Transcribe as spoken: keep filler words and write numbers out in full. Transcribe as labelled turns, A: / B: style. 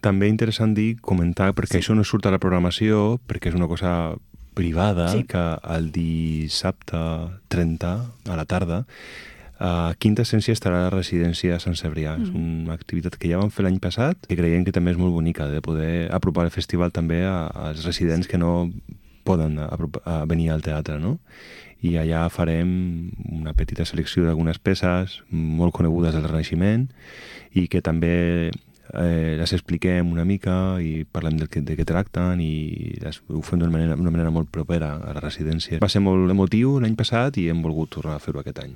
A: També interessant dir, comentar, perquè
B: Sí.
A: això no surt a la programació, perquè és una cosa privada,
B: Sí.
A: que el dissabte trenta, a la tarda, a Quinta Essència estarà a la residència de Sant Cebrià. És
B: Mhm.
A: una activitat que ja vam fer l'any passat, que creiem que també és molt bonica, de poder apropar el festival també a- als residents que no poden apropar, a venir al teatre, no? I allà farem una petita selecció d'algunes peces molt conegudes del Renaixement i que també eh, les expliquem una mica i parlem del que, de què tracten i les, ho fem d'una manera, una manera molt propera a la residència. Va ser molt emotiu l'any passat i hem volgut tornar a fer-ho aquest any.